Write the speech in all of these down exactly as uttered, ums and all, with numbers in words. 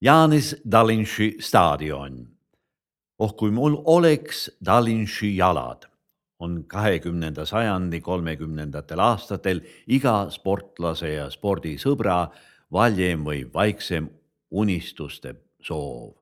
Jānis Dalinši staadion. Oh kui mul oleks Dalinši jalad, on kahekümnenda sajandi kolmekümnendatel aastatel iga sportlase ja spordisõbra valjem või vaiksem unistuste soov.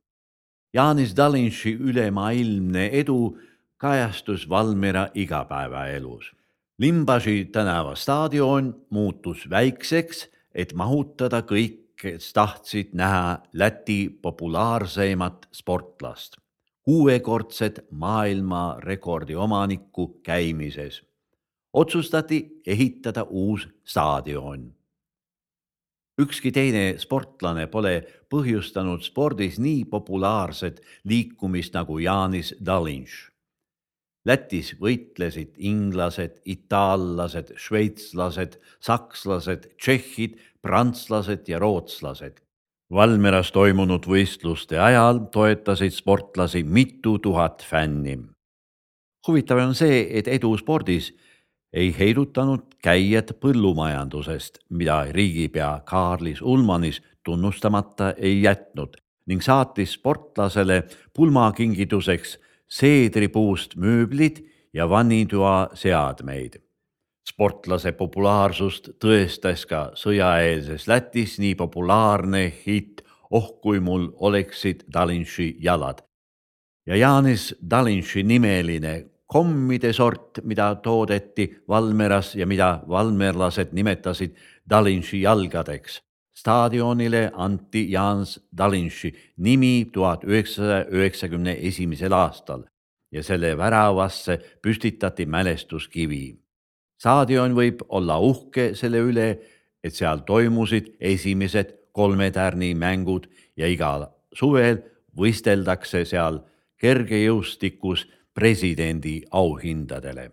Jānis Dalinši ülemaailmne edu kajastus Valmiera igapäevaelus. Limbaži tänava staadion muutus väikseks, et mahutada kõik, kes tahtsid näha Läti populaarseimat sportlast, kuuekordset maailmarekordi omanikku käimises. Otsustati ehitada uus staadion. Ükski teine sportlane pole põhjustanud spordis nii populaarset liikumist nagu Jānis Dalinš. Lätis võitlesid inglased, itaallased, šveitslased, sakslased, tšehhid, prantslased ja rootslased. Valmieras toimunud võistluste ajal toetasid sportlasi mitu tuhat fänni. Huvitav on see, et edu spordis ei heidutanud käijad põllumajandusest, mida riigipea Kaarlis Ulmanis tunnustamata ei jätnud ning saatis sportlasele pulmakingituseks seedripuust mööblid ja vannitoa seadmeid. Sportlase populaarsust tõestas ka sõjaeelses Lätis nii populaarne hitt Oh kui mul oleksid Dalinši jalad. Ja Jānis Dalinši nimeline kommide sort, mida toodeti Valmieras ja mida valmierlased nimetasid Dalinši jalgadeks. Staadionile anti Jānis Dalinši nimi tuhat üheksasaja üheksakümne esimesel aastal ja selle väravasse püstitati mälestuskivi. Staadion võib olla uhke selle üle, et seal toimusid esimesed kolmetärni mängud ja igal suvel võisteldakse seal kergejõustikus presidendi auhindadele.